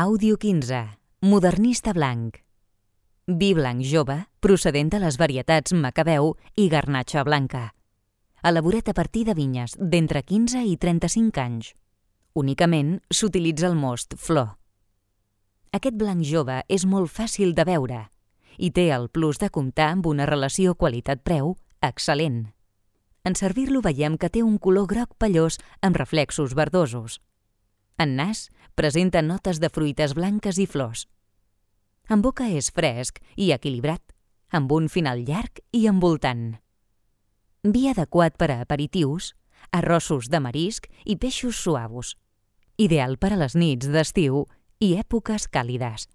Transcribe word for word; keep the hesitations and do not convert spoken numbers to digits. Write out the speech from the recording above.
Àudio quinze. Modernista blanc. Vi blanc jove procedent de les varietats Macabeu i Garnatxa blanca. Elaborat a partir de vinyes d'entre quinze i trenta-cinc anys. Únicament s'utilitza el most flor. Aquest blanc jove és molt fàcil de beure i té el plus de comptar amb una relació qualitat-preu excel·lent. En servir-lo veiem que té un color groc pellós amb reflexos verdosos. En nas presenta notes de fruites blanques i flors. En boca és fresc i equilibrat, amb un final llarg i envoltant. Vi adequat per a aperitius, arrossos de marisc i peixos suaus. Ideal per a les nits d'estiu i èpoques càlides.